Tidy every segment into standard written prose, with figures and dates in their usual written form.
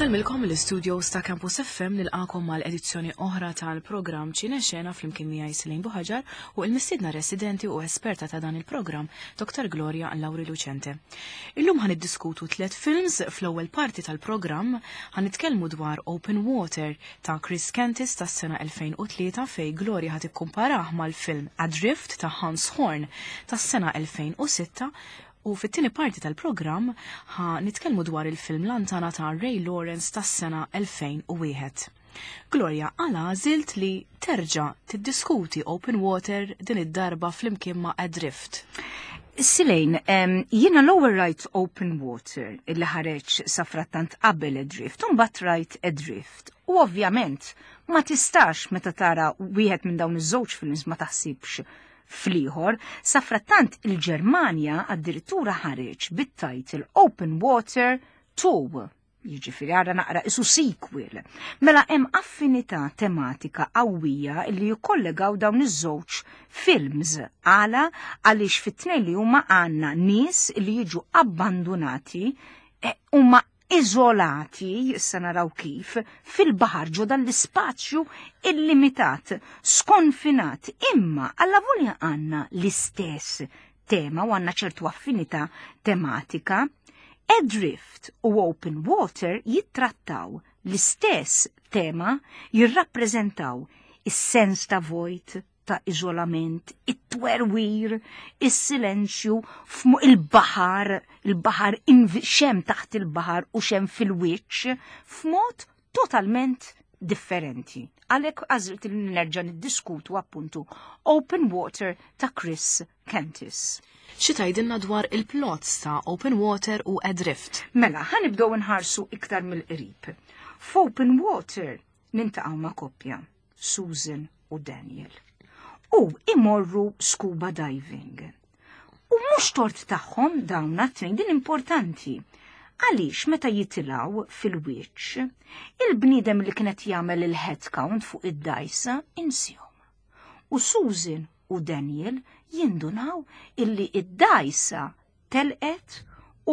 Insellmilkom l-studios ta' Campus FM nilqakom mal edizzjoni oħra tal-programm Ċine Xena flimkien miegħi Selin Buħaġar u l-mistiedna residenti u esperta ta' dan il-programm Dr. Gloria Lauri Lucente. Illum ħan iddiskutu tliet films fl-ewwel parti tal-programm ħan nitkellmu dwar Open Water ta' Chris Kentis tas-sena 2003 fej Gloria ħad ikkumparah mal-film Adrift ta' Hans Horn tas-sena 2006 u fit-tieni parti tal-programm ħa nitkellmu dwar il-film Lantana ta' Ray Lawrence tas-sena 2001. Gloria, għala għażilt li terġa' tiddiskuti Open Water din id-darba flimkien ma' Adrift? Silejn, jiena l-ewwel rajt Open Water illi ħareġ safrattant qabel Adrift, u mbagħad rajt Adrift. U ovvjament ma tistax meta tara wieħed minn dawn iż-żewġ films ma taħsibx fl-ieħor, safrattant il-Ġermanja addirittura ħareġ bit-title Open Water 2 jiġifieri għara naqra isu sequel. Mela hemm affinità tematika qawwija li jikkollegaw dawn iż-żewġ films. Għala għaliex fit-tnejn li huma għandna nies li jiġu abbandunati e, huma iżolati, issa naraw kif, fil-baħar ġo dan l-ispazju illimitat, skonfinat, imma alla volja għandna l-istess tema u għandna ċertu affinità tematika, Adrift u Open Water jittrattaw l-istess tema, jirrappreżentaw is-sens ta' vojt, ta' iżolament, it-twerwir, is-silenzju f'mu il-baħar, il-baħar xem taħt il-baħar u xem fil-wiċċ, f'mod totalment differenti. Għalhekk għażilt li nerġa' niddiskutu appuntu Open Water ta' Chris Kentis. Xi tgħidilna dwar il-plots ta' Open Water u Adrift? Mela, ħanibdew nħarsu iktar mill-qrib. F'Open Water nintaqgħu ma' koppja, Susan u Daniel. U imorru scuba diving. U mhux tort tagħhom dawn għat-tnejn din importanti. Għaliex meta jitilgħu fil-wiċċ, il-bniedem li kienet jagħmel il-head count fuq id-dajsa insihom. U Susan u Daniel jindunaw illi id-dajsa telqet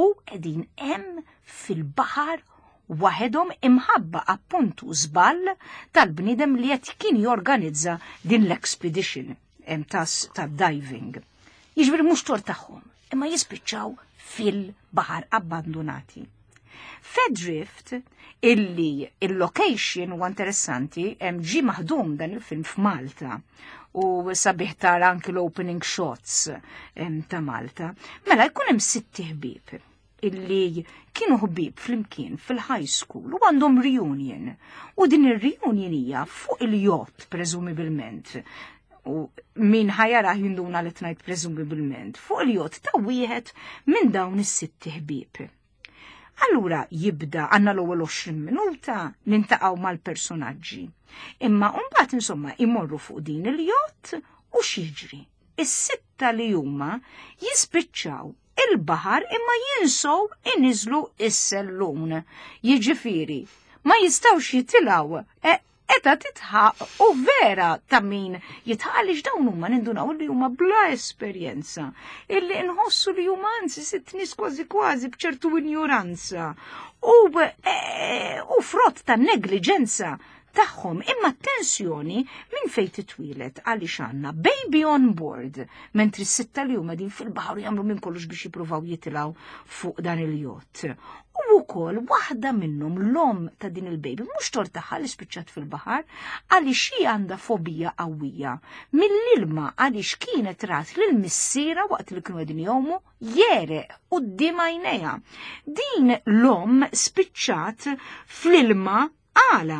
u qegħdin hemm fil-baħar waħedhom imħabba appuntu żball tal-bniedem li qed kien jorganizza din l-expedition tas ta' diving. Jiġifieri mhux tort tagħhom, imma jispiċċaw fil-baħar abbandunati. Fedrift illi il-location huwa interessanti hemm ġi maħdum dan il-film f'Malta u sabiħ tara anki l-opening shots ta' Malta. Mela jkun hemm sitti ħbieb illi kienu ħbieb flimkien fil-high school u għandhom reunion. U din ir-reunion hija fuq il-jott preżumibilment. U min ħajara jinduna li tnajt preżumibilment fuq il-jott ta' wieħed minn dawn is-sitti ħbieb. Allura jibda għandna l-ewwel 20 minuta nintaqgħu mal-personaġġi. Imma mbagħad insomma imorru fuq din il-jott u x'jiġri. Is-sitta li huma jispiċċaw il-baħar imma jinsow iniżlu is-sellun. Jiġifieri, ma jistgħux jitilgħu e, eta titħaq u vera ta' min jitħaq għaliex dawn huma nindunaw li huma bla esperjenza, illi nħossu li huma anzi sitt nies kważi kważi b'ċertu injuranza u, e, u frott ta' negliġenza tagħhom imma tensjoni minn fejn titwilet għaliex għandna baby on board mentri s-sitta li huma din fil-baħar jagħmlu minn kollox biex jippruvaw jitilgħu fuq dan il-jott. U wkoll waħda minnhom l-om ta' din il-baby mhux tort tagħha li spiċċat fil-baħar għaliex hi għandha fobija qawwija mill-ilma għaliex kienet rat lil missiera waqt li kienu qegħdin jgħumu jereq quddiem għajnejha. Din l-om spiċċat fl-ilma Għala?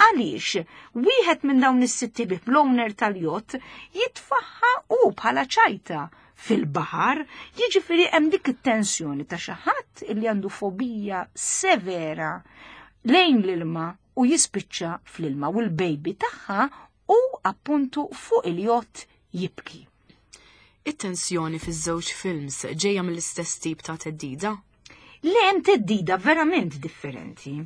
Għaliex wieħed minn dawn is-sitti bih l-owner tal-jott jitfaħħa u bħala ċajta fil-baħar, jiġifieri hemm dik it-tensjoni ta' xi ħadd li għandu fobija severa lejn l-ilma u jispiċċa fl-ilma u l-baby tagħha u appuntu fuq il-jott jibki. It-tensjoni fiż-żewġ films ġejja mill-istess tip ta' theddida? Le hemm theddida verament differenti.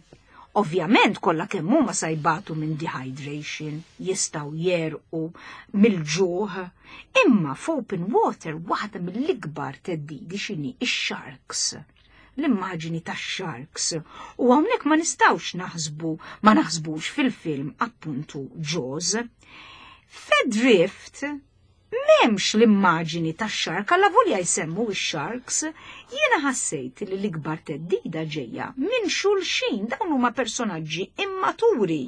Ovvjament kollha kemm huma sa jbatu minn dehydration, jistgħu jerqu mill-ġuħ, imma f'open water waħda mill-ikbar theddidi x'inhi ix-sharks. l-immaġini tax-sharks. U hawnhekk ma nistgħux naħsbu, ma naħsbux fil-film appuntu Jaws. F'Adrift m'hemmx l-immaġini tax-shark, allavolja jsemmu x-sharks, jiena ħassejt li l-ikbar theddida ġejja minn xulxin, dawn huma personaġġi immaturi.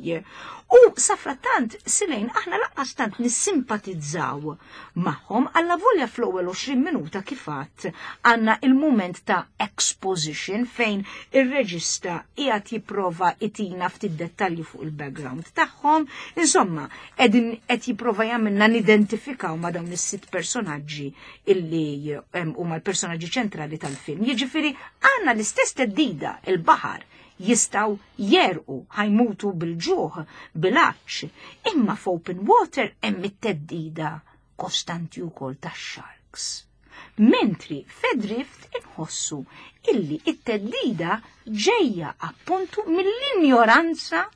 U safrattant, Silejn, aħna laqqas tant nissimpatizzaw magħhom, allavolja fl-ewwel 20 minuta kif għadt għandna il-mument ta' exposition fejn ir-reġista qiegħed jipprova itina ftit dettalji fuq il-background tagħhom. Insomma, qegħdin qed jipprova jagħmilna nidentifikaw ma' dawn is-sitt personaġġi illi huma l-personaġġi ċentrali tal-film. Jiġifieri għandna l-istess theddida, il-baħar, jistgħu jegħrqu, ħa jmutu bil-ġuħ, bil-għatx, imma f'open water hemm it-theddida kostanti wkoll tax-sharks. Mentri f'Adrift inħossu illi it-theddida ġejja appuntu mill-injoranza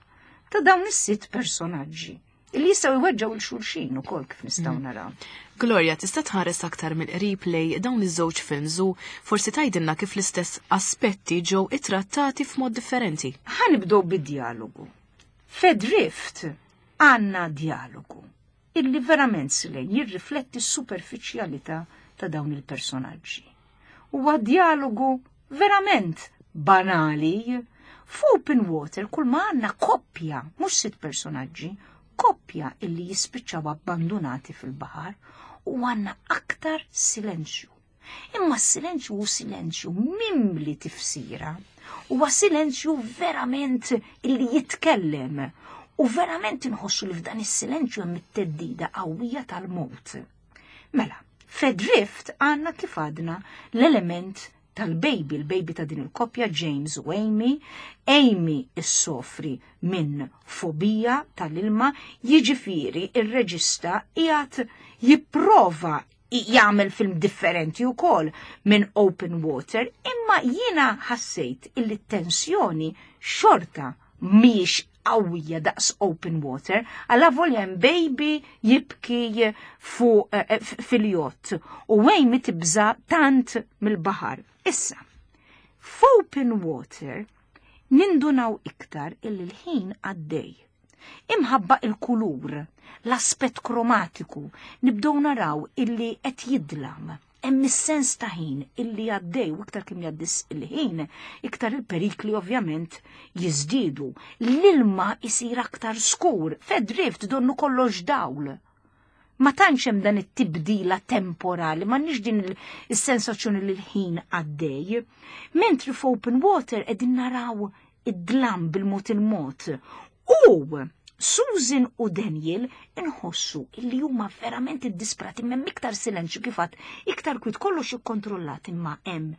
ta' dawn is-sitt personaġġi illi jistgħu jweġġgħu 'l xulxin ukoll kif nistgħu naraw. Gloria, tista' tħares aktar mill-qrib lej dawn iż-żewġ films u forsi tgħidilna kif l-istess aspetti ġew ittrattati f'mod differenti. Ħa nibdew bid-djalogu. F'Adrift għandna djalogu illi verament Silejn jirrifletti s-superfiċjalità ta' dawn il-personaġġi. Huwa djalogu verament banali. F'Open Water kull ma għandna koppja, mhux sitt personaġġi, koppja illi jispiċċaw abbandunati fil-baħar u għandna aktar silenzju. Imma s-silenzju hu silenzju mimli tifsira. Huwa silenzju verament illi jitkellem u verament inħossu li f'dan is-silenzju hemm it-theddida qawwija tal-mewt. Mela, f'Adrift għandna kif għadna l-element tal-baby, il-baby ta' din il-koppja James u Amy. Amy issofri minn fobija tal-ilma, jiġifieri ir-reġista qiegħed jipprova jagħmel film differenti wkoll minn Open Water, imma jiena ħassejt illi t-tensjoni xorta mhijiex qawwija daqs Open Water, allavolja hemm baby jibki fuq fil-jott u Amy tibża' tant mill-baħar. Issa, f'Open Water nindunaw iktar illi l-ħin għaddej. Imħabba il-kulur, l-aspett kromatiku, nibdew naraw illi qed jidlam. Hemm is-sens ta' ħin illi għaddej u iktar kemm jgħaddi il-ħin, iktar il-perikli ovvjament jiżdiedu. L-ilma isir aktar skur, f'Adrift donnu kollox dawl. Ma tantx hemm dan it-tibdila temporali, m'għandniex din is-sensazzjoni li l-ħin għaddej. Mentri f'Open Water qegħdin naraw id-dlam bil-mod il-mod. U Susan u Daniel inħossu illi huma verament iddisprati, m'hemm iktar silenzju kif għadt, iktar kwit, kollox ikkontrollat, imma hemm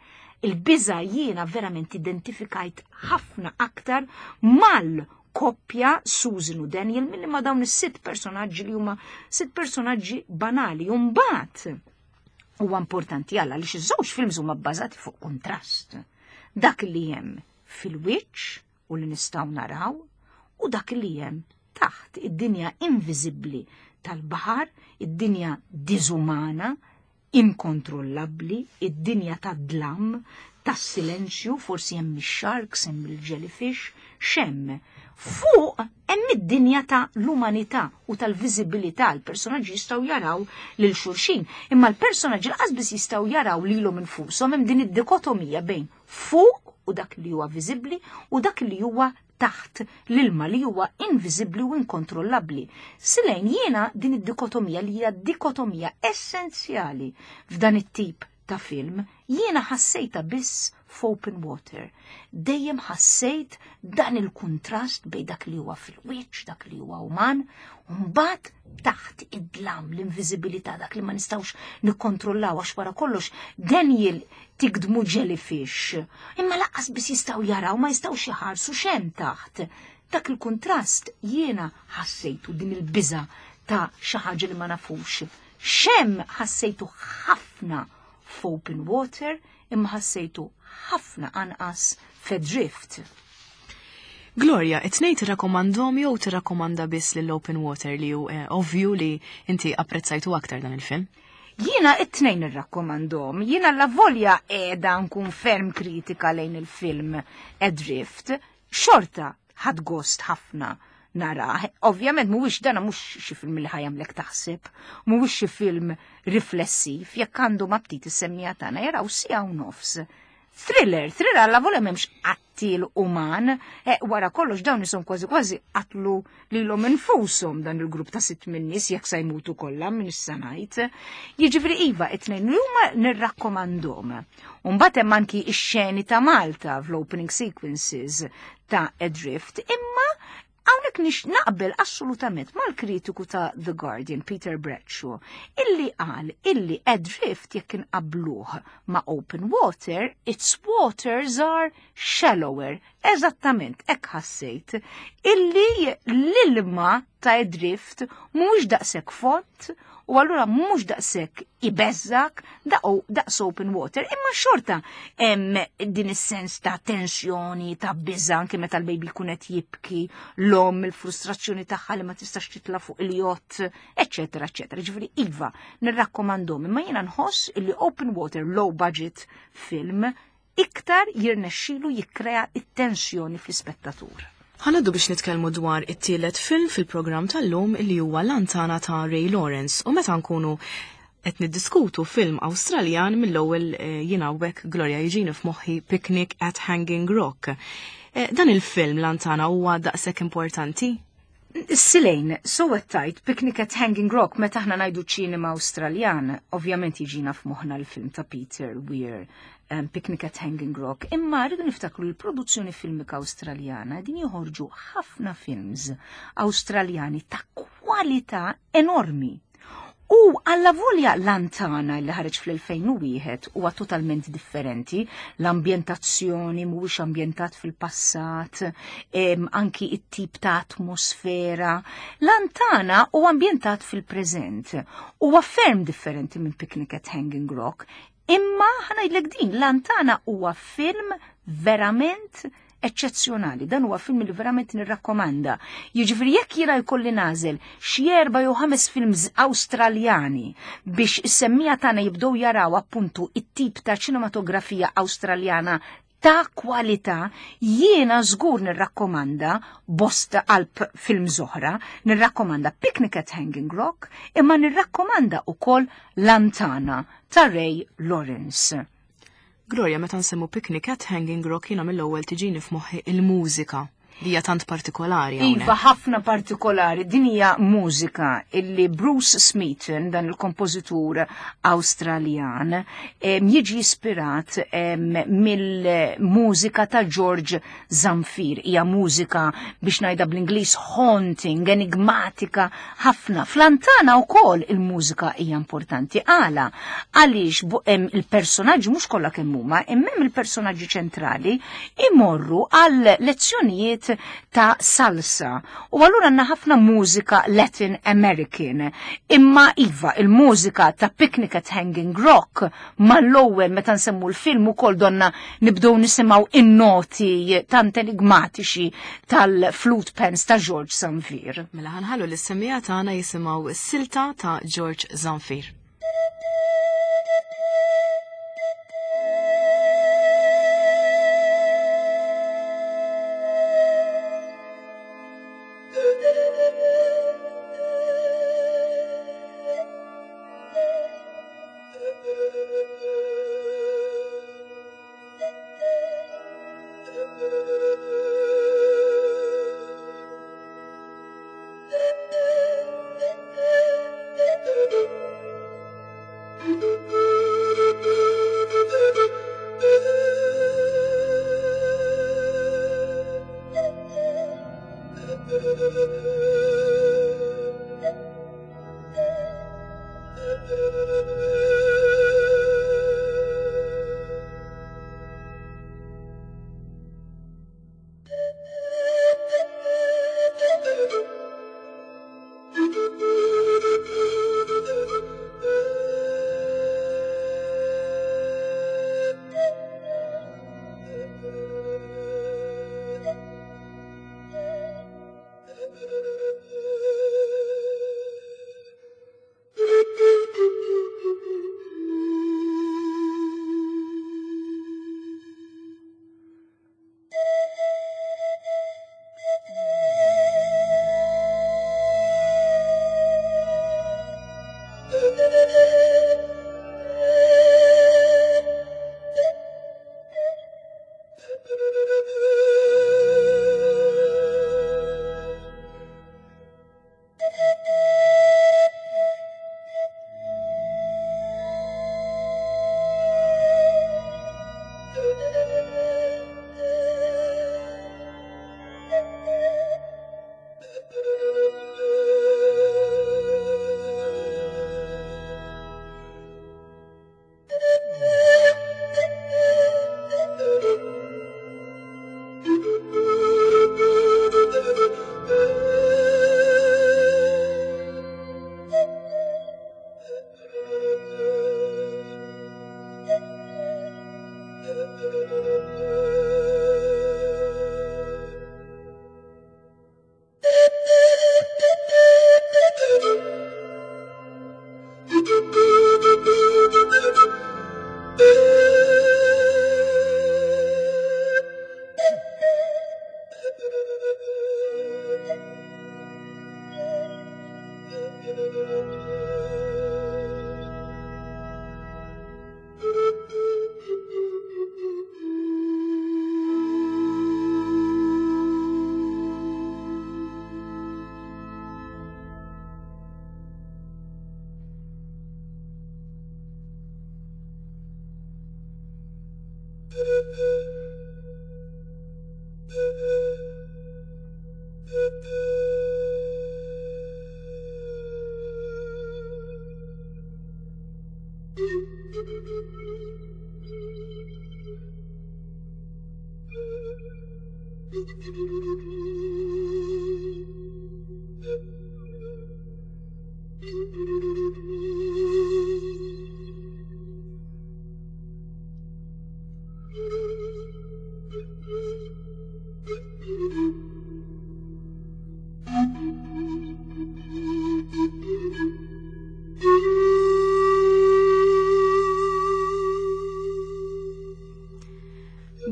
il-biża'. Jiena verament identifikajt ħafna aktar mal-koppja Susan u Daniel milli ma' dawn is-sitt personaġġi li huma sitt personaġġi banali. U mbagħad huwa importanti għalla li iż-żewġ films huma bbażati fuq kontrast. Dak li hemm fil-wiċċ u li nistgħu naraw u dak li hemm taħt, id-dinja inviżibbli tal-baħar, id-dinja diżumana, inkontrollabbli, id-dinja tad-dlam, tas-silenzju, forsi hemm ix-sharks, hemm il-jellyfish, x'hemm. Fuq hemm id-dinja ta' l-umanità u tal-viżibilità, l-personaġġi jistgħu jaraw lil xulxin, imma l-personaġġi lanqas biss jistgħu jaraw lilhom infushom, hemm din id-dikotomija bejn fuq u dak li huwa viżibbli u dak li huwa taħt l-ilma li huwa inviżibbli u inkontrollabbli. Silejn, jiena din id-dikotomija li hija dikotomija essenzjali f'dan it-tip ta' film, jiena ħassejta biss f'Open Water. Dejjem ħassejt dan il-kuntrast bejn dak li huwa fil-wiċċ, dak li huwa uman, u mbagħad taħt id-dlam, l-inviżibilità, dak li ma nistgħux nikkontrollaw, għax wara kollox Daniel tigdmu jellyfish, imma lanqas biss jistgħu jaraw, ma jistgħux iħarsu x'hemm taħt. Dak il-kuntrast jiena ħassejtu, din il-biża ta' xi ħaġa li ma nafux. X'hemm ħassejtu ħafna f'Open Water, imma ħassejtu ħafna anqas f'Adrift. Gloria, it-tnejn tirrakkomandhom jew tirrakkomanda biss lil Open Water li hu ovvju li inti apprezzajtu aktar dan il-film? Jiena it-tnejn nirrakkomandhom, jiena la volja qiegħda nkun ferm kritika lejn il-film Adrift, xorta ħadt gost ħafna nara. Ovvjament mhuwiex dana mhux xi film li ħa jagħmlek taħseb, mhuwiex xi film riflessiv, jekk għandu ma ftit is-semmiegħa tagħna jaraw siegħa u nofs. Thriller, thriller alla volja m'hemmx qattil uman, wara kollox dawn isom kważi kważi qatlu lilhom infushom dan il-grupp ta' sitt min-nies jekk sa jmutu kollha minn issa ngħid. Jiġifieri iva, it-tnejn li huma nirrakkomandhom. U mbagħad hemm anki x-xeni ta' Malta fl-opening sequences ta' Adrift, imma hawnhekk nix naqbel assolutament mal-kritiku ta' The Guardian, Peter Bradshaw, illi qal illi Adrift jekk inqabluh ma' Open Water, its waters are shallower. Eżattament, hekk ħassejt illi l-ilma ta' Adrift mhux daqshekk fond u allura mhux daqshekk ibeżżak daqs Open Water, imma xorta hemm din is-sens ta' tensjoni, ta' biża' anke meta l-baby jkun qed jibki, l-omm il-frustrazzjoni tagħha li ma tistax titla' fuq il-jott, eċċetera, eċċetera. Ġifieri iva, nirrakkomandhom, imma jiena nħoss illi Open Water low budget film iktar jirnexxilu jikkrea it-tensjoni fl-ispettatur. Ħa ngħaddu biex nitkellmu dwar it-tielet film fil-programm tal-lum li huwa Lantana ta' Ray Lawrence, u meta nkunu qed niddiskutu film Awstraljan mill-ewwel jiena hawnhekk Gloria jiġini f'moħħi Picnic at Hanging Rock. Dan il-film Lantana huwa daqshekk importanti? Silejn, so tajt Picnic at Hanging Rock, meta aħna ngħidu ċinema Awstraljan, ovvjament jiġina f'moħħna l-film ta' Peter Weir, Picnic at Hanging Rock, imma rridu niftakru l-produzzjoni filmika Awstraljana din joħorġu ħafna films Awstraljani ta' kwalità enormi. U alla volja Lantana li ħareġ fl-2001 huwa totalment differenti, l-ambjentazzjoni mhuwiex ambjentat fil-passat, anki it-tip ta' atmosfera. Lantana huwa ambjentat fil-preżent. Huwa ferm differenti minn Picnic at Hanging Rock, imma ħa ngħidlek din, Lantana huwa film verament eċċezzjonali. Dan huwa film li verament nirrakkomanda. Jiġifieri jekk jiena jkolli nagħżel xi 4 jew 5 films Awstraljani biex is-semmiegħa tagħna jibdew jaraw appuntu it-tip ta' ċinematografija Awstraljana ta' kwalità, jiena żgur nirrakkomanda bosta qalb film oħra, nirrakkomanda Picnic at Hanging Rock, imma nirrakkomanda ukoll Lantana ta' Ray Lawrence. Gloria, meta nsemmu Picnic at Hanging Rock jiena mill-ewwel tiġini f'moħħi il-mużika li hija tant partikolari hawnhekk. Iva, ħafna partikolari. Din hija mużika illi Bruce Smeaton, dan il-kompożitur Awstraljan, jiġi ispirat mill-mużika ta' George Zamfir. Hija mużika biex ngħidha bl-Ingliż haunting, enigmatika ħafna. F'Lantana wkoll il-mużika hija importanti. Għala? Għaliex il-personaġġi mhux kollha kemm huma, imma hemm il-personaġġi ċentrali imorru għal lezzjonijiet ta' salsa. U allura għandna ħafna mużika Latin American. Imma iva, il-mużika ta' Picnic at Hanging Rock mal-ewwel meta nsemmu l-film ukoll donna nibdew nisimgħu in-noti tant enigmatiċi tal-flute pans ta' George Zamfir. Mela ħa nħallu lis-semmiegħa tagħna jisimgħu s-silta ta' George Zamfir.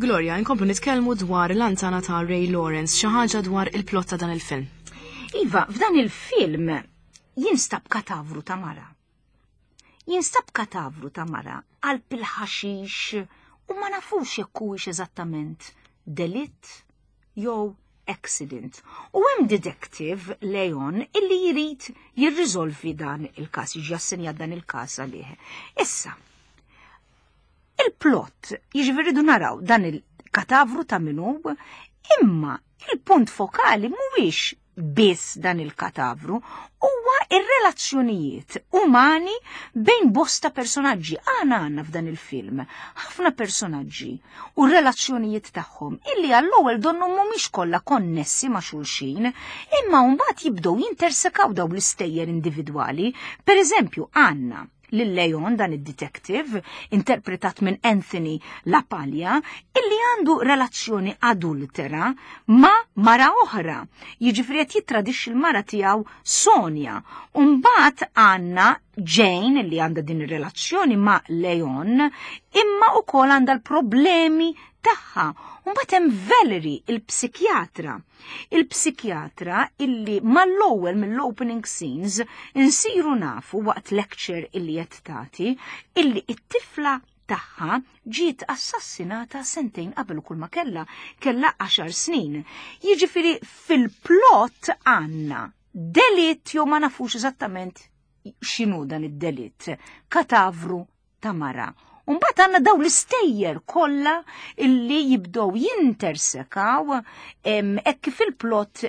Gloria, inkomplu nitkellmu dwar l-antana ta' Ray Lawrence, xi ħaġa dwar il-plot ta' dan il-film. Iva, f'dan il-film jinstab katavru ta' mara. Jinstab katavru ta' mara qalb il-ħaxix u ma nafux jekk huwiex eżattament delitt jew accident. U hemm detective Leon illi jrid jirriżolvi dan il-każ, jiġi assenjat dan il-każ għalih. Issa, il-plot, jiġifieri rridu naraw dan il-katavru ta' min hu, imma il-punt fokali mhuwiex biss dan il-katavru, huwa ir-relazzjonijiet umani bejn bosta personaġġi. Aħna għandna f'dan il-film ħafna personaġġi u r-relazzjonijiet tagħhom illi għall-ewwel donnu mhumiex kollha konnessi ma' xulxin, imma mbagħad jibdew jintersekaw dawn l-istejjer individwali. Per eżempju, għandna lil Leon dan id-detective, interpretat minn Anthony LaPaglia, illi għandu relazzjoni adultera ma' mara oħra. Jiġifieri qed jittradixxi l-mara tiegħu Sonja. U mbagħad għandna Jane li għandha din ir-relazzjoni ma' Leon, imma wkoll għandha l-problemi tagħha. U mbagħad hemm Valerie, il-psikjatra. Il-psikjatra illi mal-ewwel mill-opening scenes insiru nafu waqt lecture illi qed tagħti illi it-tifla tagħha ġiet assassinata sentejn qabel kull ma kellha kellha 10 snin. Jiġifieri fil-plot għandna delitt jew ma nafux eżattament x'inhu dan id-delitt, katavru ta' mara. U mbagħad għandna daw l-istejjer kollha illi jibdew jintersekaw hekk kif il-plot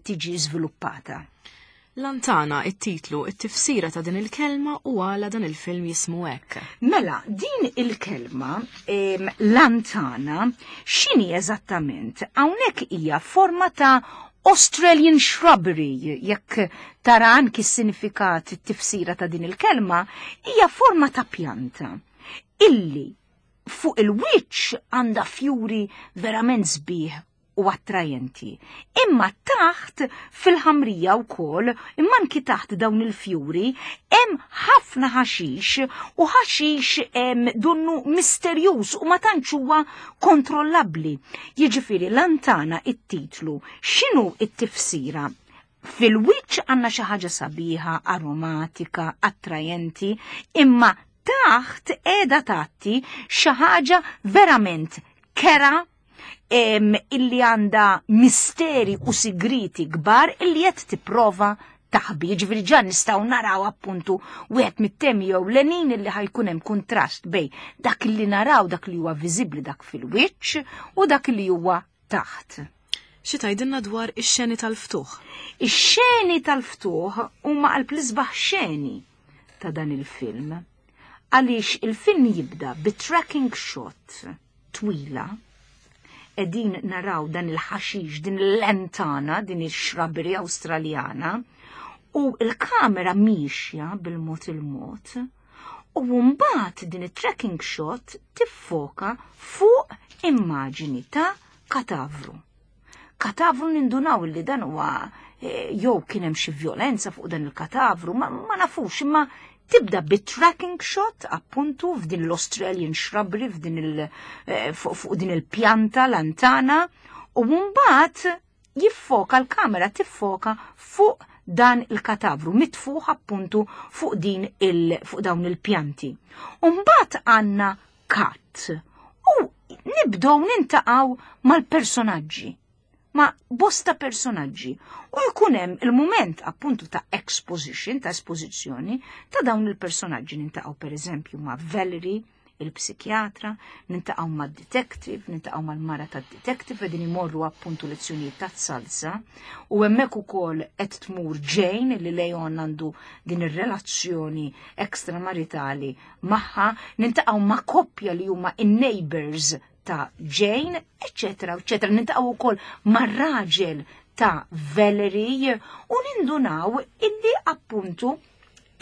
tiġi żviluppata. Lantana, it-titlu, it-tifsira ta' din il-kelma u għala dan il-film jismu hekk. Mela, din il-kelma, lantana, x'inhi eżattament? Hawnhekk hija forma ta' Australian shrubbery, jekk tara anki s-sinifikat, it-tifsira ta' din il-kelma, hija forma ta' pjanta illi fuq il-wiċċ għandha fjuri verament sbieħ u attrajenti. Imma taħt fil-ħamrija wkoll, imma anki taħt dawn il-fjuri, hemm ħafna ħaxix u ħaxix donnu misterjuż u ma tantx huwa kontrollabbli. Jiġifieri lantana it-titlu, x'inhu it-tifsira? Fil-wiċċ għandna xi ħaġa sabiħa, aromatika, attrajenti, imma taħt qiegħda tagħti xi ħaġa verament kera illi għandha misteri u sigriti kbar illi qed tipprova taħbi. Jiġifieri ġa nistgħu naraw appuntu wieħed mit-temi jew lenin illi ħajkun hemm kuntrast bej dak li naraw, dak li huwa viżibbli, dak fil-wiċċ u dak li huwa taħt. Xi tgħidilna dwar ix-xeni tal-ftuħ? Ix-xeni tal-ftuħ huma qalb l-isbaħ xeni ta' dan il-film. Għaliex il-film jibda bi tracking shot twila, qegħdin naraw dan il-ħaxix, din l-lentana, din ix-shrubbery Awstraljana, u l-kamera miexja bil-mod il-mod, u mbagħad din it-tracking shot tiffoka fuq immaġini ta' katavru. Katavru nindunaw li dan huwa jew kien hemm xi vjolenza fuq dan il-katavru, ma nafux, imma tibda bi tracking shot appuntu f'din l-Australian shrubbery, fuq din il-pjanta lantana, u mbagħad jiffoka l-kamera tiffoka fuq dan il-katavru mitfuħ appuntu fuq din il fuq dawn il-pjanti. Umbagħad għandna cut u nibdew nintaqgħu mal-personaġġi ma' bosta personaġġi u jkun hemm il-mument appuntu ta' exposition, ta' espożizzjoni ta' dawn il-personaġġi nintaqgħu pereżempju ma' Valerie, il-psikjatra, nintaqgħu mad-detective, nintaqgħu mal-mara tad-detective qegħdin imorru appuntu lezzjonijiet ta' salsa u hemmhekk ukoll qed tmur Jane li Leon għandu din ir-relazzjoni ekstramaritali magħha, nintaqgħu ma' koppja li huma in-neighbors ta' Jane, eccetera, eccetera. Nintaqgħu wkoll mar-raġel ta' Valerie u nindunaw illi appuntu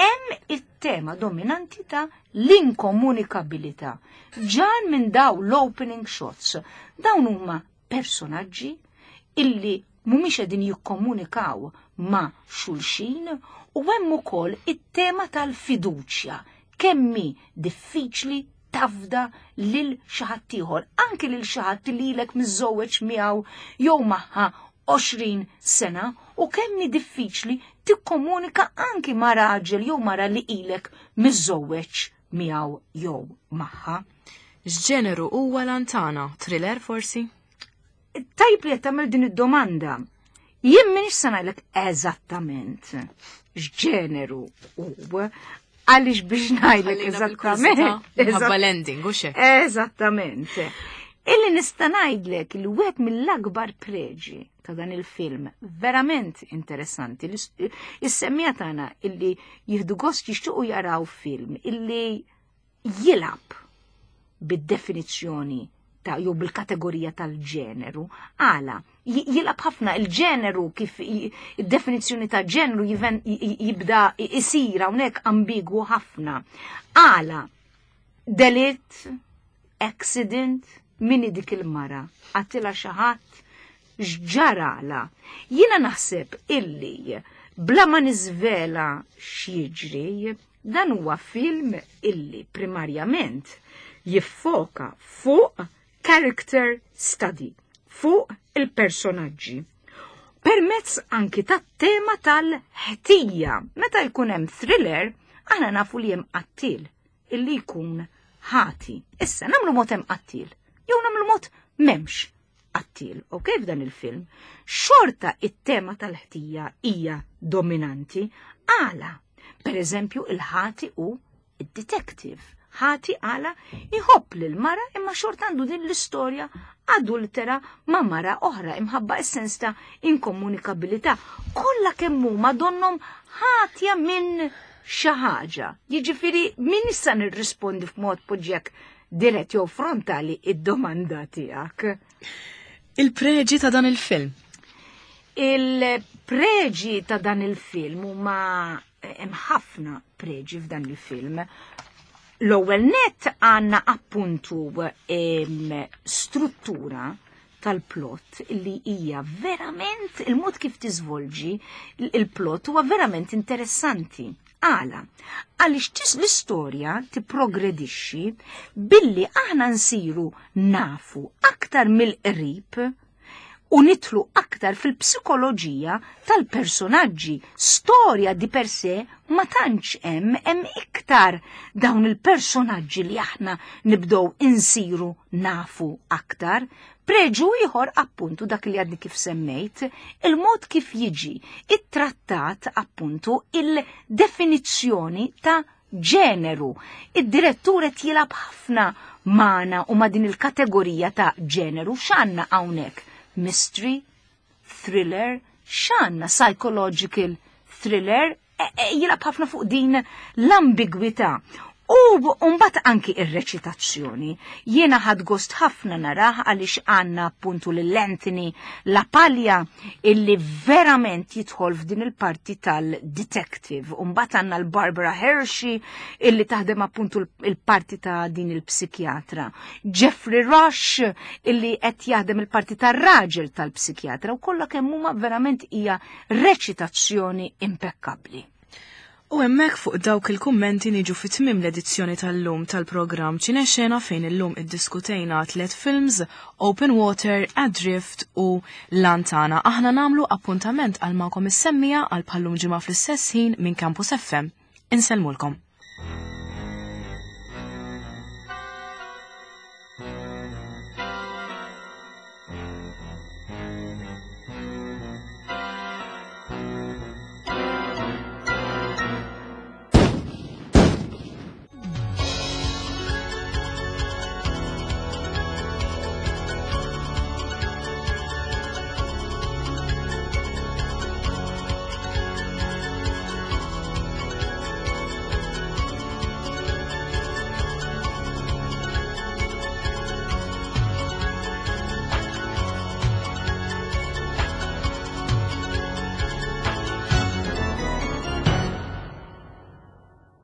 hemm it-tema dominanti ta' l-inkomunikabilità. Ġan minn daw l-opening shots, dawn huma personaġġi illi mhumiex qegħdin jikkomunikaw ma' xulxin u hemm ukoll it-tema tal-fiduċja kemmi diffiċli tafda lil xi ħadd ieħor, anki lil xi ħadd li ilek miżżewweġ miegħu jew magħha 20 sena u kemmi diffiċli tikkomunika anki ma' raġel jew mara li ilek miżżewweġ miegħu jew magħha. X'ġeneru huwa Lantana? Thriller forsi? Tajb li qed tagħmel din id-domanda. Jien m'iniex se ngħidlek eżattament x'ġeneru hu, għaliex biex ngħidlek eżattament. Minħabba l-ending, u xek. Eżattament. Illi nista' ngħidlek li wieħed mill-akbar preġi ta' dan il-film verament interessanti. Is-semmija tagħna illi jieħdu gost jixtiequ jaraw film illi jilgħab bid-definizzjoni ta' jew bil-kategorija tal-ġeneru. Għala, jilgħab ħafna il-ġeneru kif id-definizzjoni ta' ġeneru jibda isir hawnhekk ambigwu ħafna. Għala, delitt, accident, min dik il-mara, qatilha xi ħadd, x'ġarala. Jiena naħseb illi bla ma niżvela x'jiġri, dan huwa film illi primarjament jiffoka fuq character study, fuq il-personaġġi. Permezz anki tat-tema tal-ħtija. Meta jkun hemm thriller, aħna nafu li hemm qattil illi jkun ħati. Issa nagħmlu mod hemm qattil, jew nagħmlu mod m'hemmx qattil, ok, f'dan il-film. Xorta it-tema tal-ħtija hija dominanti għala. Per eżempju, il-ħati u id-detective. Ħati għala jħobb lil mara imma xorta għandu din l-istorja adultera ma' mara oħra imħabba is-sens ta' inkomunikabilità. Kollha kemm huma donnhom ħatja minn xi ħaġa. Jiġifieri min issa nirrispondi f'mod poġġek dirett jew frontali id-domanda tiegħek. Il-preġi ta' dan il-film. Il-preġi ta' dan il-film huma hemm ħafna preġi f'dan il-film. L-ewwel net għandna appuntu struttura tal-plot li hija verament il-mod kif tiżvolġi il-plot huwa verament interessanti. Għala, għaliex l-istorja tipprogredixxi billi aħna nsiru nafu aktar mill-qrib u nitlu aktar fil-psikoloġija tal-personaġġi. Storja di per se ma tantx hemm hemm iktar dawn il-personaġġi li aħna nibdew insiru nafu aktar. Preġu ieħor appuntu dak li għadni kif semmejt, il-mod kif jiġi ittrattat appuntu il-definizzjoni ta' ġeneru. Id-direttur qed jilgħab ħafna magħna u ma' din il-kategorija ta' ġeneru x'għandna hawnhekk? Mystery, thriller, x'għandna psychological thriller, jilgħab ħafna fuq din l-ambigwità. U mbagħad anki ir-reċitazzjoni. Jiena ħadt gost ħafna narah għaliex għandna appuntu lil Anthony LaPaglia illi verament jidħol f'din il-parti tal-detective. U mbagħad għandna l-Barbara Hershey illi taħdem appuntu il-parti ta' din il-psikjatra. Jeffrey Rush illi qed jaħdem il-parti tar-raġel tal-psikjatra u kollha kemm huma verament hija reċitazzjoni impekkabbli. U hemmhekk fuq dawk il-kummenti niġu fi tmiem l-edizzjoni tal-lum tal-programm Ċinexena fejn illum iddiskutejna tliet films Open Water, Adrift u Lantana. Aħna nagħmlu appuntament għal magħkom is-semmija għal bħallum ġimgħa fl-istess ħin minn Campus FM. Insellmulkom.